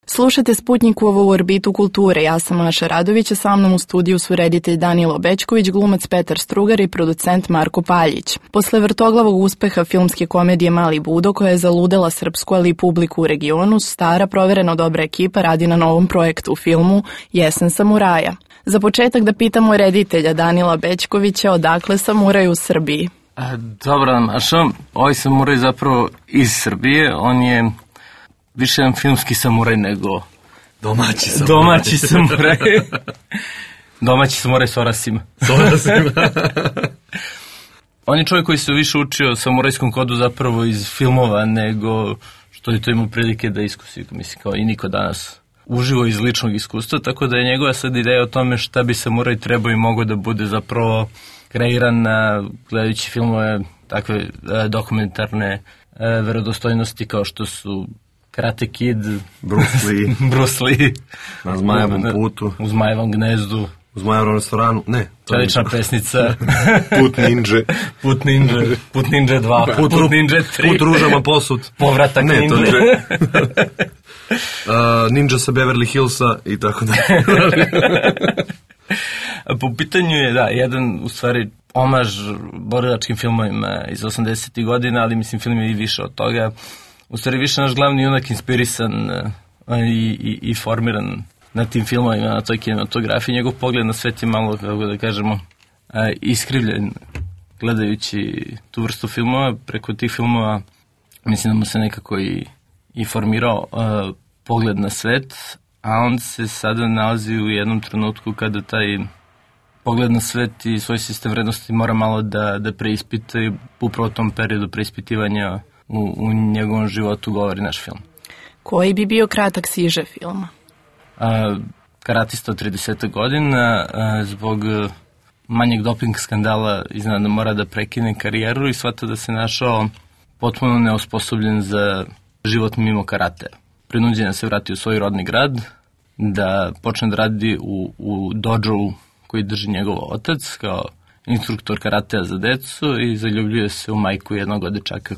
Slušate Sputnikovu orbitu kulture, ja sam Maša Radović, a sa mnom u studiju su reditelj Danilo Bećković, glumac Petar Strugar i producent Marko Paljić. Posle vrtoglavog uspeha filmske komedije Mali Budo, koja je zaludela srpsku, ali i publiku u regionu, stara, provereno dobra ekipa radi na novom projektu u filmu Jesen samuraja. Za početak da pitamo reditelja Danila Bećkovića odakle samuraj u Srbiji. Dobro, Maša, ovaj samuraj zapravo iz Srbije, on je više jedan filmski samuraj nego domaći samuraj. Domaći samuraj s orasima. On je čovjek koji se više učio samurajskom kodu zapravo iz filmova nego što je to imao prilike da iskusi, mislim, kao i niko danas uživo iz ličnog iskustva, tako da je njegova sad ideja o tome šta bi samuraj trebao i mogao da bude zapravo kreiran gledajući filmove takve dokumentarne verodostojnosti kao što su Karate Kid, Bruce Lee, na Zmajevom putu, u Zmajevom gnezdu, u Zmajevom restoranu, ne. Čelična pesnica, Put Ninja, Put Ninja 2, Put Ninja 3, Put ružama posud, Povratak Ninja. Ninja sa Beverly Hillsa i tako da. Po pitanju je, da, jedan u stvari omaž borilačkim filmovima iz 80. godina, ali mislim film je i više od toga. U stvari više naš glavni junak inspirisan i formiran na tim filmovima, na toj kinematografiji. Njegov pogled na svet je malo, kako da kažemo, iskrivljen gledajući tu vrstu filmova. Preko tih filmova mislim da mu se nekako i formirao pogled na svet, a on se sada nalazi u jednom trenutku kada taj pogled na svet i svoj sistem vrednosti mora malo da preispita i upravo u tom periodu preispitivanja u njegovom životu govori naš film. Koji bi bio kratak siže filma? Karatista od 30 godina zbog manjeg doping skandala iznenada mora da prekine karijeru i shvata da se našao potpuno neosposobljen za život mimo karatea. Prinuđen se vrati u svoj rodni grad, da počne da radi u dođou koji drži njegov otac kao instruktor karatea za decu i zaljubljuje se u majku jednog od dečaka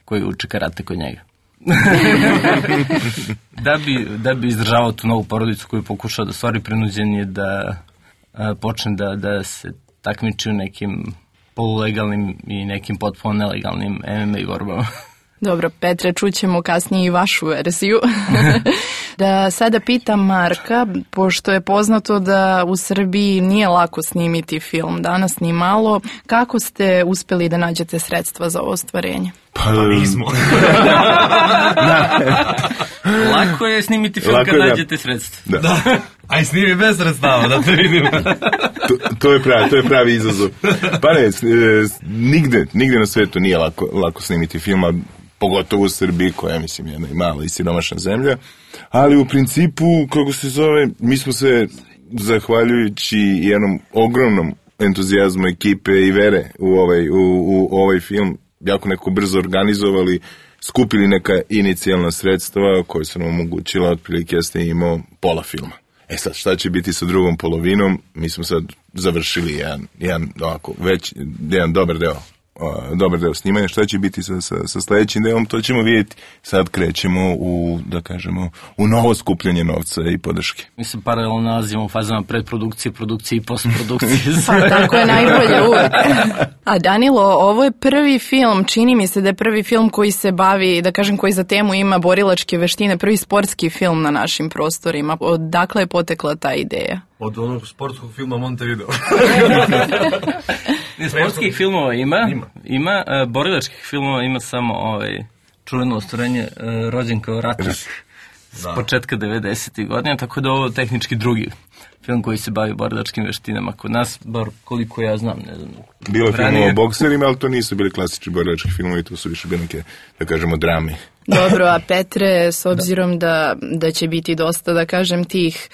koji uči karate kod njega. Da bi izdržavao tu novu porodicu koju pokušao da stvori, prinuđen je da počne da se takmiči u nekim polulegalnim i nekim potpuno nelegalnim MMA borbama. Dobro, Petre, čućemo kasnije i vašu verziju. Da sada pitam Marka, pošto je poznato da u Srbiji nije lako snimiti film, danas ni malo, kako ste uspeli da nađete sredstva za ovo ostvarenje? Pa nismo. Lako je snimiti film kad nađete sredstva. Da. Aj snimi bez sredstava, da te vidimo. To je pravi izazov. Pa ne, nigde na svetu nije lako snimiti filma, pogotovo u Srbiji, koja mislim jedna i mala i siromašna zemlja, ali u principu, kako se zove, mi smo se, zahvaljujući jednom ogromnom entuzijazmu ekipe i vere u ovaj film, jako neko brzo organizovali, skupili neka inicijalna sredstva koja su nam omogućila, otprilike jeste imao pola filma. Sad, šta će biti sa drugom polovinom? Mi smo sad završili jedan dobar deo snimanja. Šta će biti sa sledećim delom, to ćemo vidjeti. Sad krećemo u novo skupljanje novca i podrške. Mi se paralelno nalazimo u fazama predprodukcije, produkcije i postprodukcije. Pa tako je najbolje uvek. A Danilo, ovo je prvi film, čini mi se da je prvi film koji se bavi, da kažem, koji za temu ima borilačke veštine, prvi sportski film na našim prostorima. Odakle je potekla ta ideja? Od onog sportskog filma Montevideo. Sportskih filmova ima, borilačkih filmova ima samo čuveno ostvarenje Rođen kao ratnik s početka 90. godina, tako da ovo tehnički drugi film koji se bavi borilačkim veštinama kod nas, bar koliko ja znam, ne znam. Bilo je filmova o bokserima, ali to nisu bili klasični borilački filmovi, to su više bili neke, da kažemo, drame. Dobro, a Petre, s obzirom da će biti dosta, da kažem, tih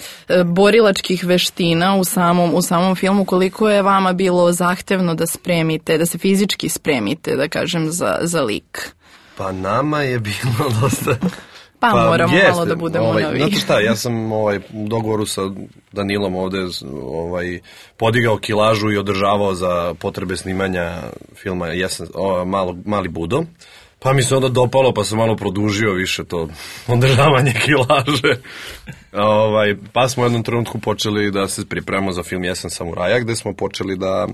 borilačkih veština u samom filmu, koliko je vama bilo zahtevno da se fizički spremite, da kažem, za lik? Pa nama je bilo dosta... Pa moramo malo da budemo novi. Znate šta, ja sam u dogovoru sa Danilom ovde podigao kilažu i održavao za potrebe snimanja filma Mali Budo. Pa mi se onda dopalo, pa sam malo produžio više to održavanje kilaže. Pa smo u jednom trenutku počeli da se pripremamo za film Jesen samuraja, gde smo počeli da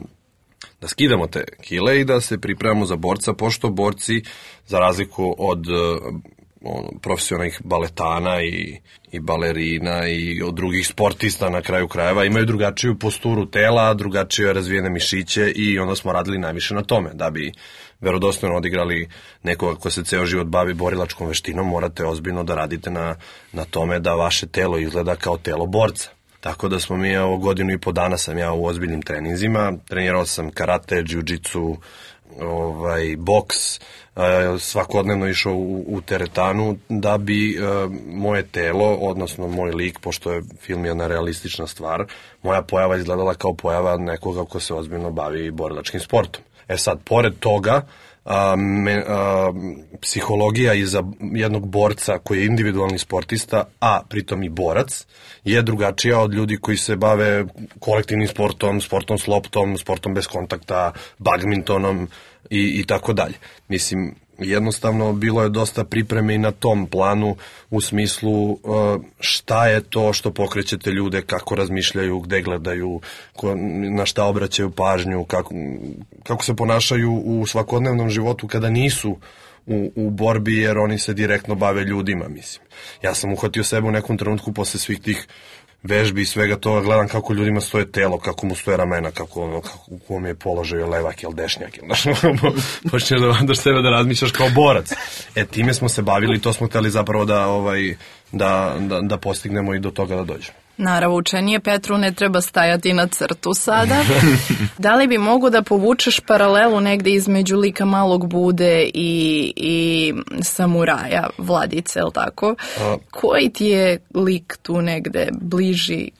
skidamo te kile i da se pripremamo za borca, pošto borci, za razliku od profesionalnih baletana i balerina i od drugih sportista na kraju krajeva, imaju drugačiju posturu tela, drugačije razvijene mišiće i onda smo radili najviše na tome. Da bi verodostojno odigrali nekoga ko se ceo život bavi borilačkom veštinom, morate ozbiljno da radite na tome da vaše telo izgleda kao telo borca. Tako da smo mi, godinu i po dana sam ja u ozbiljnim treninzima, trenirao sam karate, jiu-jitsu, boks, svakodnevno išao u teretanu da bi moje telo, odnosno moj lik, pošto je film jedna realistična stvar, moja pojava izgledala kao pojava nekoga ko se ozbiljno bavi borilačkim sportom. Sad, pored toga, psihologija iza jednog borca koji je individualni sportista, a pritom i borac, je drugačija od ljudi koji se bave kolektivnim sportom, sportom s loptom, sportom bez kontakta, badmintonom i tako dalje. Mislim, jednostavno bilo je dosta pripreme i na tom planu u smislu šta je to što pokrećete ljude, kako razmišljaju, gde gledaju, na šta obraćaju pažnju, kako se ponašaju u svakodnevnom životu kada nisu u borbi, jer oni se direktno bave ljudima, mislim. Ja sam uhvatio sebe u nekom trenutku posle svih tih vežbi i svega toga, gledam kako ljudima stoje telo, kako mu stoje ramena, kako u kom je položaju levak ili dešnjak, počneš da sebe da razmišljaš kao borac. Time smo se bavili i to smo hteli zapravo da postignemo i do toga da dođemo. Naravoučenije Petru ne treba stajati na crtu sada. Da li bi mogu da povučeš paralelu negde između lika Malog Bude i samuraja Vladice, je li tako? Koji ti je lik tu negde bliži?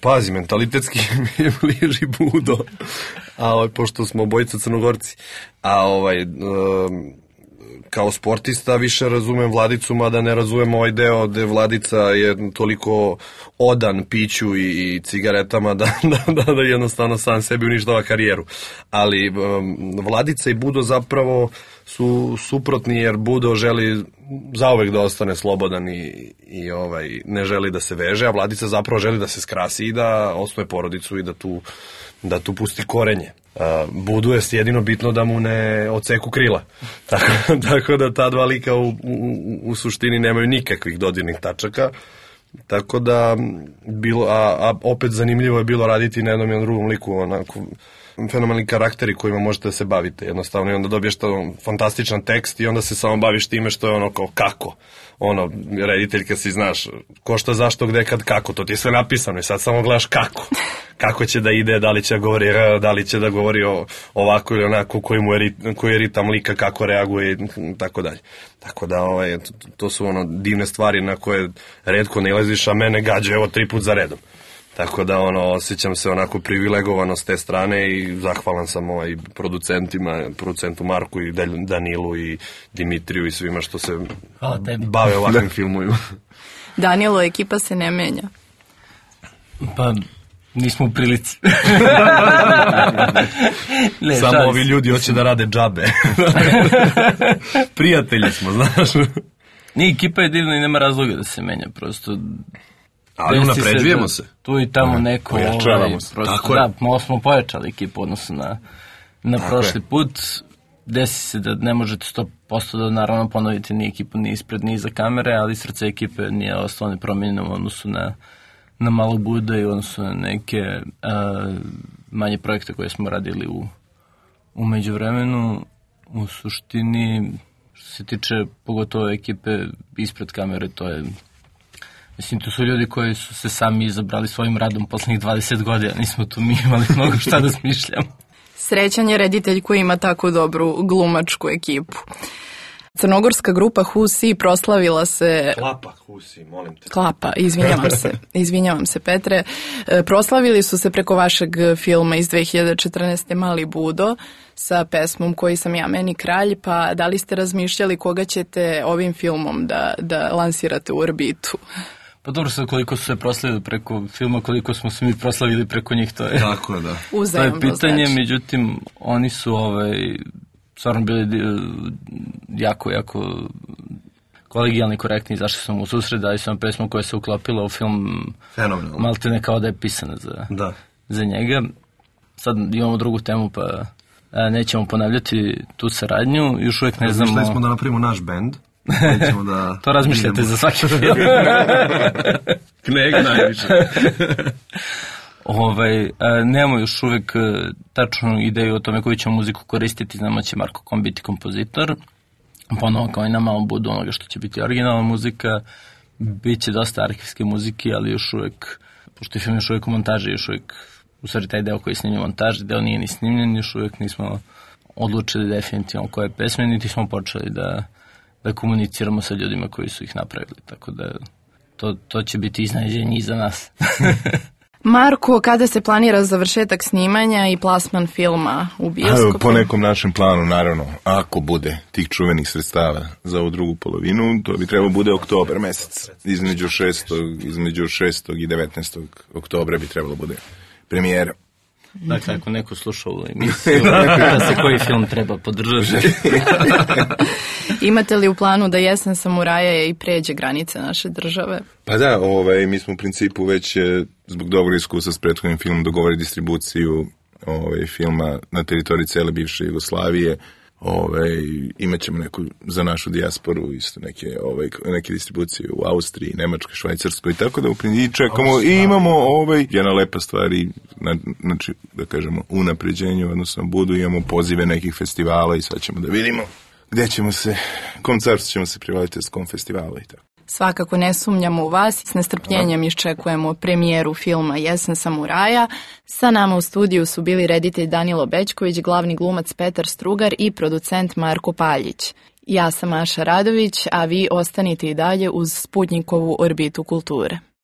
Pazi, mentalitetski mi je bliži Budo, pošto smo obojica Crnogorci. Kao sportista više razumem Vladicu, mada ne razumem ovaj deo gde Vladica je toliko odan piću i cigaretama da jednostavno sam sebi uništava karijeru. Ali Vladica i Budo zapravo su suprotni, jer Budo želi zauvek da ostane slobodan i ne želi da se veže, a Vladica zapravo želi da se skrasi i da osnuje porodicu i da tu pusti korenje. Budu je jedino bitno da mu ne odseku krila. Tako da ta dva lika u suštini nemaju nikakvih dodirnih tačaka. Tako da, opet zanimljivo je bilo raditi na jednom i na drugom liku, onako fenomenalni karakteri kojima možete da se bavite jednostavno, i onda dobiješ fantastičan tekst i onda se samo baviš time što je ono kao kako. Rediteljka si znaš, ko šta, zašto, gde, kad, kako, to ti je sve napisano i sad samo gledaš kako će da ide, da li će da govori da li će da govori ovako ili onako, koji je ritam lika, kako reaguje i tako dalje. Tako da to su divne stvari na koje retko ne ilaziš, a mene gađa 3 put za redom. Tako da osjećam se onako privilegovano s te strane i zahvalan sam producentu Marku i Danilu i Dimitriju i svima što se bave ovakvim filmovima. Danilo, ekipa se ne menja. Pa nismo u prilici. Samo ovi ljudi hoće da rade džabe. Prijatelji smo, znaš. Nije, ekipa je divna i nema razloga da se menja, prosto. Ali unapređujemo se. Tu i tamo neko... Pojačavamo se. Tako je. Da, malo smo pojačali ekipu odnosno na prošli put. Desi se da ne možete 100% da naravno ponovite ni ekipu ni ispred ni iza kamere, ali srce ekipe nije ostalo nepromijenjeno u odnosu na Malog Buda i u odnosu na neke manje projekte koje smo radili u međuvremenu. U suštini, što se tiče pogotovo ekipe ispred kamere, to je... Mislim, to su ljudi koji su se sami izabrali svojim radom poslednjih 20 godina. Nismo tu mi imali mnogo šta da smišljamo. Srećan je reditelj koji ima tako dobru glumačku ekipu. Crnogorska grupa Husi proslavila se... Klapa Husi, molim te. Klapa, izvinjavam se Petre. Proslavili su se preko vašeg filma iz 2014. Mali Budo sa pesmom Koji sam ja meni kralj, pa da li ste razmišljali koga ćete ovim filmom da lansirate u orbitu? Pa dobro, sad koliko su se proslavili preko filma, koliko smo se mi proslavili preko njih, to je... Tako je, da. To je pitanje, znači. Međutim, oni su stvarno bili jako kolegijalni, korektni, izašli smo u susret, dali smo pesmu koja se uklopila u film maltene kao da je pisana za njega. Sad imamo drugu temu, pa nećemo ponavljati tu saradnju, još uvijek ne znamo... Mišljali smo da napravimo naš bend. To razmišljate za svaki film. Kneg najviše. Nemamo još uvijek tačnu ideju o tome koju ćemo muziku koristiti. Znamo će Marko Kom biti kompozitor. Ponovo kao i na malom budu onoga što će biti originalna muzika. Biće dosta arhivske muzike, ali još uvijek, pošto je film još uvijek u montaži, još uvijek, u stvari taj deo koji je snimljen u montaži, deo nije ni snimljen, još uvijek nismo odlučili definitivno koje pesme, niti smo počeli da komuniciramo sa ljudima koji su ih napravili. Tako da to će biti iznenađenje i za nas. Marko, kada se planira završetak snimanja i plasman filma u bioskopu? Po nekom našem planu, naravno, ako bude tih čuvenih sredstava za ovu drugu polovinu, to bi trebalo bude oktobar mesec. Između 6. i 19. oktobra bi trebalo bude premijera. Dakle, ako neko sluša ovu emisiju, pita se koji film treba podržati. Imate li u planu da Jesen samuraja i pređe granice naše države? Pa da, mi smo u principu već zbog dobrog iskustva s prethodnim filmom dogovorili distribuciju filma na teritoriji cele bivše Jugoslavije. Imat ćemo neku za našu dijasporu isto neke distribucije u Austriji, Nemačkoj, Švajcarskoj, tako da u principu čekamo i imamo jedna lepa stvar i znači da kažemo unapređenju, odnosno imamo pozive nekih festivala i sad ćemo da vidimo gde ćemo se, kom carstvu ćemo se privaliti s kom festivala i tako. Svakako ne sumnjamo u vas i s nestrpljenjem iščekujemo premijeru filma Jesen samuraja. Sa nama u studiju su bili reditelj Danilo Bećković, glavni glumac Petar Strugar i producent Marko Paljić. Ja sam Maša Radović, a vi ostanite i dalje uz Sputnjikovu orbitu kulture.